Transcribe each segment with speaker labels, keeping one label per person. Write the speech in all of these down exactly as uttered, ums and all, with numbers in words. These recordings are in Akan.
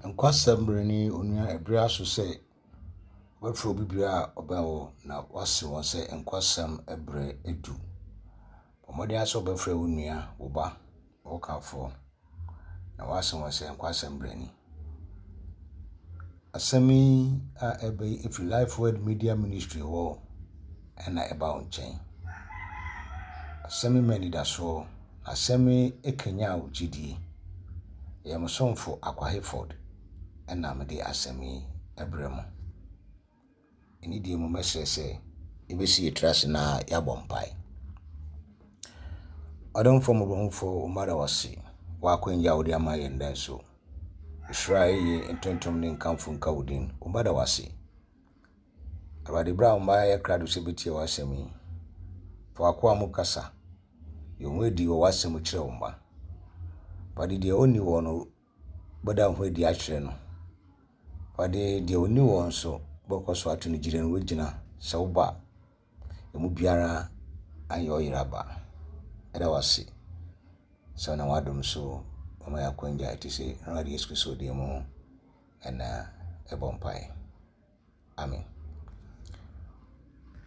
Speaker 1: Nkwasɛm bere ne onua ɛbere aso sɛ wobɛfrɛ obi biara a ɔbɛn wo na woase wɔn sɛ nkwasɛm bere adu. Bɔ mmɔden ara sɛ wobɛfrɛ wo nua, wo ba, wo kafoɔ na woase wɔn sɛ nkwasɛm bere ni. Asɛm yi a ɛba yi ɛfiri Life Word Media Ministry hɔ ɛna ɛba wo nkyɛn. Asɛm yi ma anidasoɔ, asɛm yi kanyan wo gyidie. Ɛyɛ mo somfo Akwa Hayford ɛna mede asɛm yi ɛbrɛ mo. Ɛne deɛ mu mɛsrɛ sɛ yɛbɛsi yɛn tiri ase na yɛabɔ mpae. Ɔdomfoɔ mmɔborɔhunufoɔ, wo mma da wo ase wɔ akwanya a wode ama yɛn nnɛ nso. Nhyira a ɛyɛ ntontom ne nkamfo nka wo din. Wo mma da wo ase. Awurade, berɛ a wo mma ayɛ krado sɛ bɛtie w'asɛm yi, fa w'akoa mu kasa. Yi wo ho adi wɔ w'asɛm mu kyerɛ wo mma. Awurade, deɛ ɔnni wɔ no, bɛda wo ho adi akyerɛ no. Awurade, deɛ ɔnni wɔ nso, bɛkɔ so ato no gyina no wagyina sɛ woba a, emu biara anyɛ ɔyera ba. Ɛda wo ase sɛ wonam w'adom so wama yɛn akwanya a ɛte sɛ Awurade Yesu Kristo din mu ɛna ɛbɔ mpae. Amen.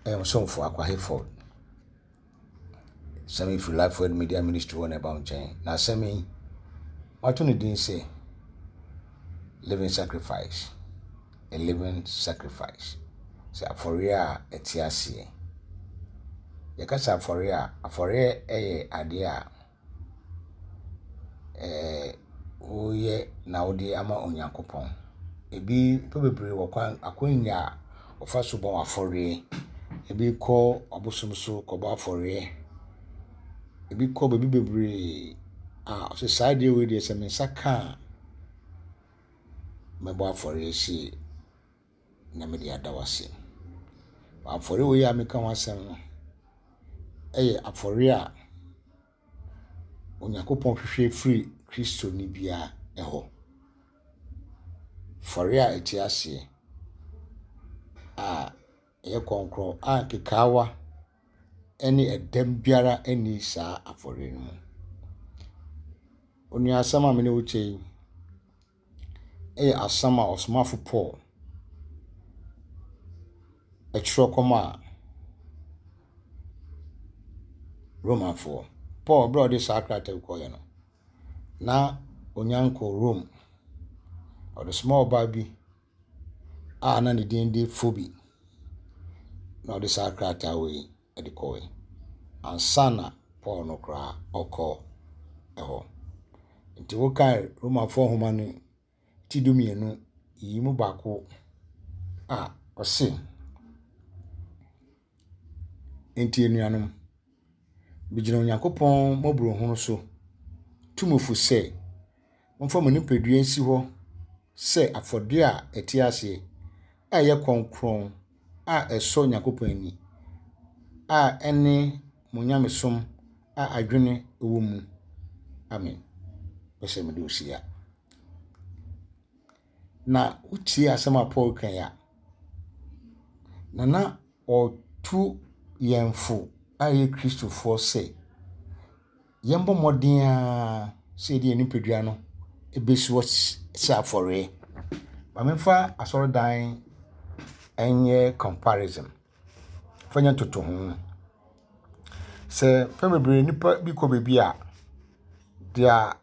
Speaker 1: Ɛyɛ mo somfo Akwa Hayford. Asɛm yi firi Life Word Media Ministry hɔ na ɛba wo nkyɛn. Na asɛm yi, wato ne din sɛ Living Sacrifice. A living sacrifice. Sɛ afɔreɛ a ɛte aseɛ. Yɛka sɛ afɔreɛ a, afɔreɛ yɛ adeɛ a ɛɛ woyɛ na wode ama Onyankopɔn. Ebi nnipa bebree wɔ kwan akwanya a wɔfa so bɔ afɔreɛ. Ebi kɔ abosom so kɔbɔ afɔreɛ. Ebi kɔ baabi bebree a ɔsɛ saa adeɛ wei deɛ sɛ me nsa ka a, mɛbɔ afɔreɛ sei na mede ada wo ase. Afɔreɛ wei a meka ho asɛm no yɛ afɔreɛ a Onyankopɔn hwehwɛ firi Kristoni biara hɔ. Afɔreɛ a ɛte aseɛ a ɛyɛ kronkron a nkekaawa ne ɛdɛm biara nni saa afɔreɛ no mu. Onua asɛm a me ne wo kyɛ yi yɛ asɛm a ɔsomafo Paul ɛtwerɛ kɔmaa Romanfoɔ. Paul berɛ a ɔde saa krataa yi kɔeɛ no, na onya nkɔɔ Rome. Ɔde somaa ɔbaa bi a na ne din de Phoebe na ɔde saa krataa wei de kɔeɛ ansa na Paul no koraa ɔkɔ hɔ. Nti wokae Romanfoɔ nhoma no ti du mmienu yi mu baako a ɔse, Enti anuanom, megyina Onyankopɔn mmɔborɔhunu so tu mo fo sɛ, momfa mo nipadua nsi hɔ sɛ afɔdeɛ a ɛte aseɛ, a ɛyɛ kronkron, a ɛsɔ Onyankopɔn ani, a ɛne mo nyamesom a adwene wɔ mu. Amen. Pɛ sɛ mede wo si ha. Na wotie asɛm a Paul ka yi a, na na ɔretu yɛn fo a yɛyɛ Kristofoɔ sɛ yɛmbɔ mmɔden ara sɛ yɛde yɛn nipadua no bɛsi hɔ sɛ afɔreɛ. Ma memfa asɔredan nyɛ comparison. Fa nyɛ ntotoho. Sɛ mpɛn bebree nnipa bi kɔ baabi a, deɛ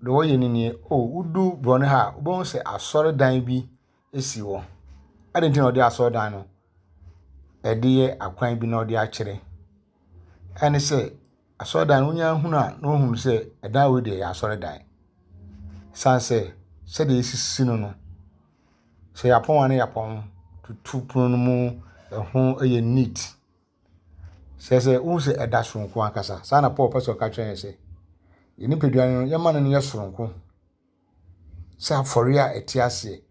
Speaker 1: deɛ wɔyɛ no nie, oh wodu borɔno ha a, wobɛhu sɛ asɔredan bi si hɔ. Adɛn nti na wɔde asɔredan no ɛde yɛ akwan bi na wɔde akyerɛ? Ɛne sɛ asɔredan no wonya hunu a na wohunu sɛ ɛdan wei deɛ ɛyɛ asɔredan. San sɛ sɛdeɛ esisi no no, sɛ yɛapɔn a na yɛapɔn tutu pono no mu, ɛho yɛ neat. Sɛ sɛ wohu sɛ ɛda soronko ankasa. Saa na Paul pɛ sɛ ɔka kyerɛ yɛn sɛ yɛn nipadua no yɛmma no nyɛ soronko sɛ afɔreɛ a ɛte aseɛ.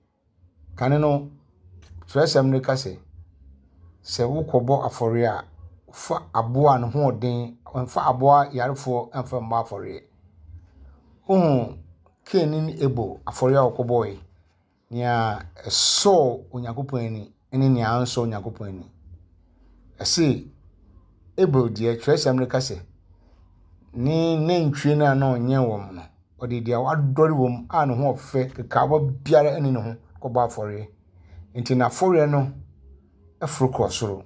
Speaker 1: Kane no, twerɛsɛm no ka sɛ, sɛ wokɔbɔ afɔreɛ a, fa aboa a ne ho ɔden, mfa aboa yarefoɔ mfa mmɔ afɔreɛ. Wohu Cain ne Abel afɔreɛ a wɔkɔbɔeɛ, nea ɛsɔɔ Onyankopɔn ani ne nea ansɔ Onyankopɔn ani. Ɛse Abel deɛ twerɛsɛm no ka sɛ ne nantwie no a na ɔnyɛn wɔn no, ɔde deɛ wadɔre wɔ mu a ne ho ɔfɛ kekaawa biara ne ne ho kɔbɔ afɔreɛ. Nti n'afɔreɛ no ɛforo kɔ soro.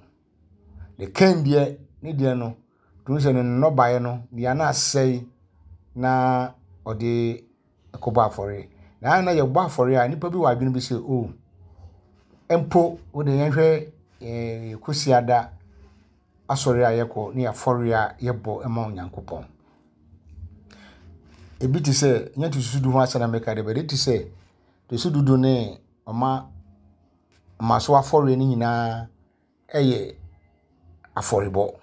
Speaker 1: Ne Kain deɛ ne deɛ no, tumi sɛ ne nnɔbaeɛ no deɛ na asɛe na ɔde kɔbɔ afɔreɛ. Na na yɛbɔ afɔreɛ a nnipa bi wɔ adwene bi sɛ o mpo wode yɛnhwɛ ɛɛ Kwasiada asɔre a yɛkɔ ne afɔreɛ a yɛbɔ ma Onyankopɔn. Ebi te sɛ nyɛ ntotoso du ho asɛm na meka de bɛde te sɛ ntotoso du du ne ɔma mmaso afɔreɛ no nyinaa ɛyɛ afɔrebɔ.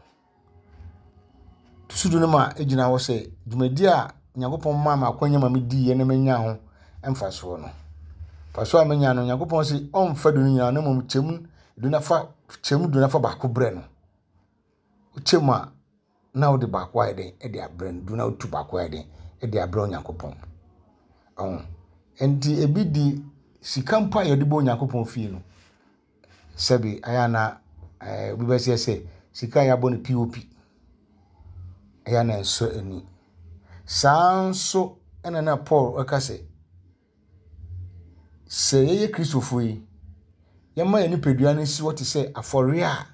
Speaker 1: Ntotoso du no ma egyina hɔ sɛ dwumadi a Onyankopɔn maa me akwanya ma mediiɛ na manya ho mfasoɔ no. Mfasoɔ a menya no, Onyankopɔn sɛ ɔmfa du no nyinaa na mmom kyɛm du na fa kyɛm du na fa baako brɛ no. Wokyɛ mu a na wode baako ayɛ den de abrɛ no, du na wotu baako ayɛ den de abrɛ Onyankopɔn. Ɔho. Nti ebi di sika mpo a yɛde bɔ Onyankopɔn fie no, sɛbi ayɛ ana ɛɛ obi bɛseɛ sɛ sika a yɛabɔ no P O P ɛyɛ na ɛnsɔ ani. Saa nso ɛna na Paul ɛka sɛ sɛ yɛyɛ Kristofoɔ yi, yɛma yɛn nipadua no si hɔ te sɛ afɔreɛ a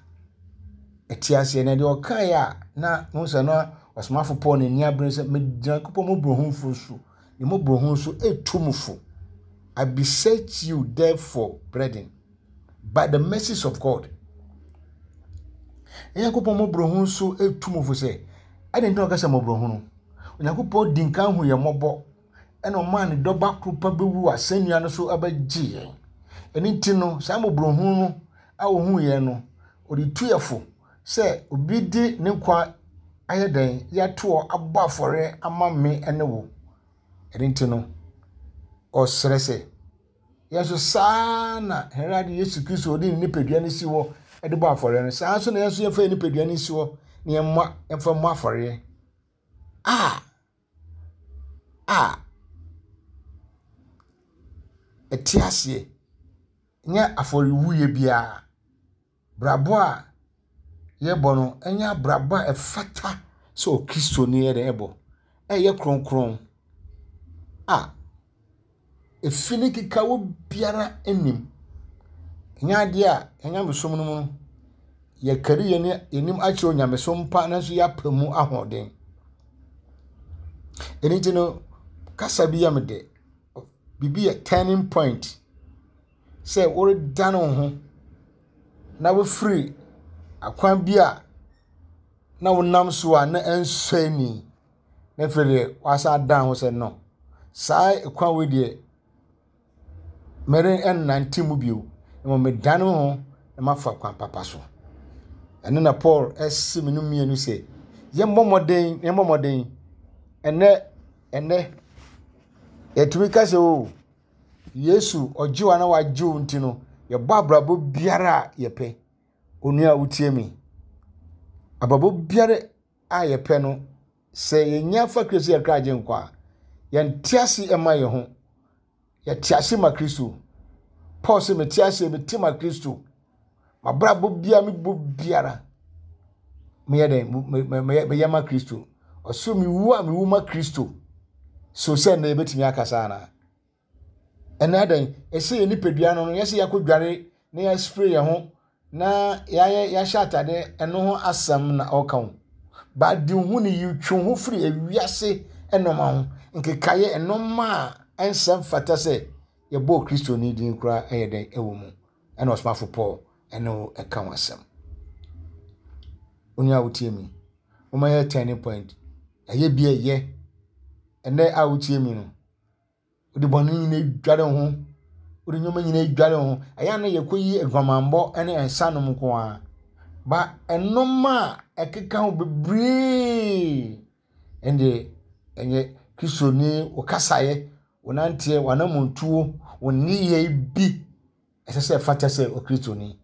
Speaker 1: ɛte aseɛ. Na deɛ ɔkaeɛ a na mo sɛ na ɔsomafo Paul n'ani abere sɛ megyina Nyankopɔn mmɔborɔhunufo so ne mmɔborɔhunu so etu mo fo. "I beseech you therefore, brethren, by the mercies of God." Nyankopɔn mmɔborɔhunu so etu mo fo sɛ ɛde nti na ɔka sɛ mmɔborɔhunu. Onyankopɔn di nkan hu yɛn mmɔbɔ ɛna ɔmaa ne dɔba koro pa bɛwu wɔ asɛnnua no so abɛgye yɛn. Ɛno nti no, saa mmɔborɔhunu no a ohuu yɛn no, ɔde tu yɛn fo sɛ obi de ne nkwa ayɛ dɛn de ato hɔ abɔ afɔre ama me ne wo. Ɛno nti no, ɔsrɛ sɛ yɛn nso saa na Awurade Yesu Kristo ɔde ne nipadua no si hɔ de bɔ afɔre no, saa nso na yɛn nso yɛmfa yɛn nipadua no si hɔ na yɛmmɔ yɛmfa mmɔ afɔreɛ a a ɛte aseɛ, nyɛ afɔrewuyɛ biara. Brabɔ a yɛbɔ no ɛnyɛ abrabɔ a ɛfata sɛ Okristoni yɛ dɛ ɛbɔ. Ɛyɛ kronkron a efi ne kekawa biara nnim. Ɛnyɛ adeɛ a yɛn nyamesom no mu no, yɛkari yɛn yɛnim akyerɛ onyamesom pa nanso yɛapɛ mu ahoɔden. Ɛno nti no, kasa bi yɛ me dɛ. Biribi yɛ turning point sɛ woredane wo ho na wofiri akwan bi a na wonam so a na ɛnsɔ ani na afei deɛ wasan adan ho sɛ no saa kwan wei deɛ mere ɛnnante mu bio, mmom medane me ho na mafa kwan papa so. Ɛno na Paul ɛsi me no mmienu sɛ yɛmmɔ mmɔden, yɛmmɔ mmɔden. Ɛnɛ ɛnɛ yɛtumi ka sɛ o Yesu ɔgye wo a na wagye wo nti no yɛbɔ abrabɔ biara a yɛpɛ. Onua a wotie me, abrabɔ biara a yɛpɛ no, sɛ yɛnya fa Kristo yɛ kra agye nkwa a, yɛnte ase ɛma yɛn ho, yɛte ase ma Kristo. Paul sɛ mete ase, mete ma Kristo. Mabrabɔ biara mebɔ biara meyɛ dɛn? Meyɛ ma Kristo. Ɔso mewu a mewu ma Kristo. So sɛ nnɛ yɛbɛtumi akasa anaa? Ɛnɛ adɛn ɛsɛ yɛ nipadua no no yɛsɛ yɛakɔ dware na yɛaspray yɛn ho na yɛayɛ yɛahyɛ atade, ɛno ho asɛm na ɔka ho baade ho ne yi twe ho firi ewiase nneɛma ho nkekaeɛ, nneɛma a ɛnsɛm fata sɛ yɛbɔ Kristoni din koraa ɛyɛ dɛn ɛwɔ mu. Ɛna ɔsomafo Paul ɛne wo ɛka ho asɛm. Onua a wotie mi, wɔma yɛ turning point ɛyɛ bi ɛyɛ ɛnɛ a wotie mi no, wode bɔne nyinaa dware ho, wode nneɛma nyinaa dware ho. Ɛyɛ a na yɛkɔyi aguamammɔ ne nsa nom nko ara ba ɛnoma a ɛkeka ho bebree. Ɛnde ɛnyɛ Kristoni wo kasaeɛ, wo nanteɛ, w'anamontuo, wo nneyɛe bi ɛsɛ sɛ ɛfata sɛ Okristoni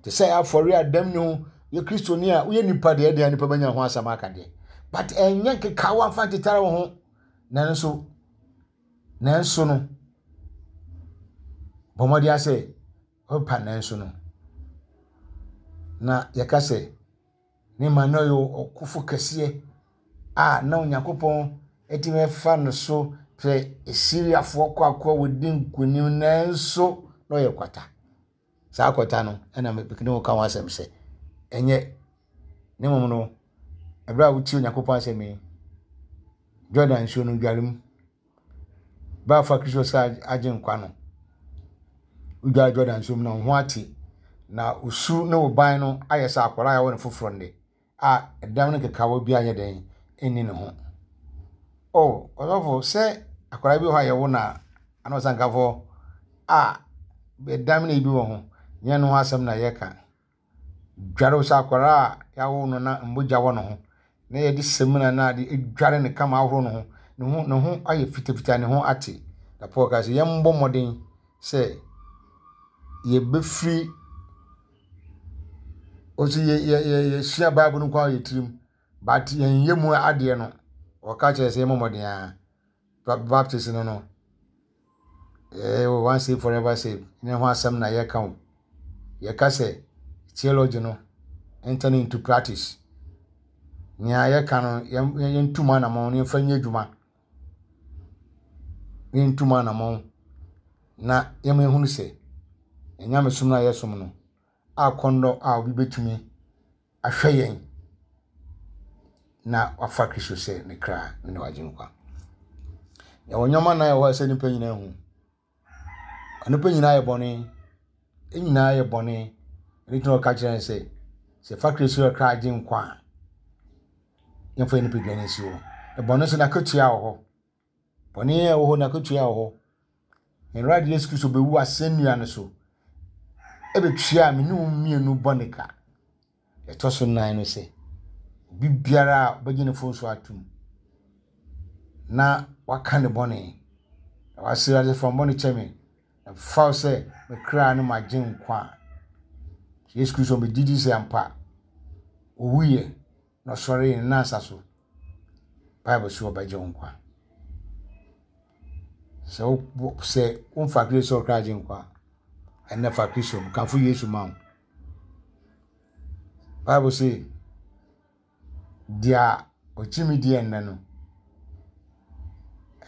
Speaker 1: te sɛ afɔre a dɛm ne ho yɛ Kristoni a woyɛ nipa deɛ ɛdeɛ nipa bɛnya ho asɛm aka deɛ, but ɛnyɛ nkekawa mfa ntetare wo ho. Nanso nanso no bɔ mmɔden asɛ ɔpa nanso no na yɛka sɛ ne ma no yɛ ɔkofo kɛseɛ a na Onyankopɔn atumi afa no so Sɛ Asiriafoɔ kɔ akoa wɔdi nkonim nanso na ɔyɛ kwata. Saa kwata no ɛna mene wo ka ho asɛm sɛ ɛnyɛ ne mmom no ɛberɛ a wotie Onyankopɔn asɛm yi, Jordan nsuo no dware mu. Berɛ a fa Kristo sɛ agye nkwa no, wodware Jordan nsuo mu na wo ho ate na osu ne wo ban no ayɛ sɛ akwadaa a yɛwɔ no foforɔ nnɛ a ɛdam no kekawa bi anyɛ dɛn ɛnni ne ho. Oh, ɔsɔfo sɛ akwadaa bi wɔ hɔ a yɛwo no a ana ɔsankafoɔ a ɛdam no bi wɔ ho nyɛ no ho asɛm na yɛka. Dware wo sɛ akwadaa a yɛawo no na mbogya wɔ ne ho na yɛde samina na ade adware ne kama ahoro ne ho ne ho ne ho ayɛ fitafita ne ho ate. Na Paul ka sɛ yɛmbɔ mmɔden sɛ yɛbɛfiri ɔsi yɛ yɛ yɛ yɛsua Bible no nko ara yɛ tirim but yɛnyɛ mu adeɛ no ɔka kyerɛ sɛ yɛmmɔ mmɔden a Baptist no no ɛɛ once saved forever saved ne ho asɛm na yɛka o. Yɛka sɛ theology no enter into practice. Nea yɛka no yɛntu mu anammɔn na yɛmfa nyɛ adwuma. Yɛntu mu anammɔn na yɛma yɛhunu sɛ nyamesom no a yɛsom no akɔnnɔ a obi bɛtumi ahwɛ yɛn na wafa Kristo sɛ ne kra ne ne wagye nkwa. Yɛwɔ nneɛma nnan a ɛwɔ hɔ a ɛsɛ nnipa nyinaa hu. Nnipa nyinaa yɛ bɔne. Yɛn nyinaa yɛ bɔne. Ɛno nti na ɔka kyerɛ yɛn sɛ sɛ yɛfa Kristo sɛ kra agye nkwa a, yɛmfa yɛn nipadua no nsi hɔ. Na bɔne nso n'akatua wɔ hɔ. Bɔne a ɛwɔ hɔ n'akatua wɔ hɔ. Yɛn Awurade Yesu Kristo bɛwu asɛnnua no so ɛbɛtua me ne wo mmienu bɔne ka. Ɛtɔ so nnan no sɛ obi biara a ɔbɛgye ne fo so atom na waka ne bɔne na wasrɛ Awurade fa bɔne kyɛ me na fa wo sɛ me kra ne magye nkwa a Yesu Kristo bɛgye di sɛ ampa owuiɛ na ɔsɔree ne nansa so Bible so ɔbɛgye wo nkwa. Sɛ wo sɛ womfa Kristo sɛ ɔkra agye nkwa a ɛnnɛ fa Kristo kamfo Yesu ma wo. Bible say deɛ ɔgye me di ɛnnɛ no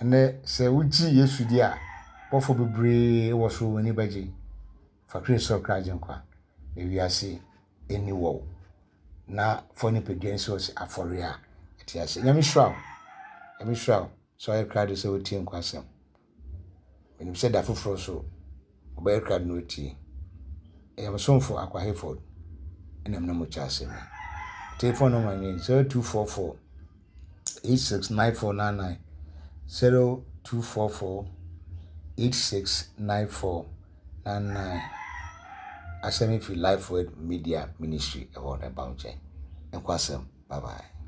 Speaker 1: ɛnnɛ sɛ wogye Yesu di a bɔfo bebree wɔ soro wɔn ani bɛgye. Fa Kristo sɛ ɔkra agye nkwa na wiase ani wɔ wo na fa nipadua nsi hɔ sɛ afɔre a ɛte ase. Nyame hyira wo. Nyame hyira wo sɛ ɔyɛ krado sɛ wotie nkwasɛm. Menim sɛ da foforɔ so ɔbɛyɛ krado na otie. Ɛyɛ me somfo Akwa Hayford ɛna mene mo kyɛ asɛm yi. Telephone number ni zero two four four eight six nine four nine nine zero two four four eight six nine four nine nine. Asɛm yi fi Life Word Media Ministry ɛhɔ na ɛba wo nkyɛn. Nkwasɛm. Bye bye.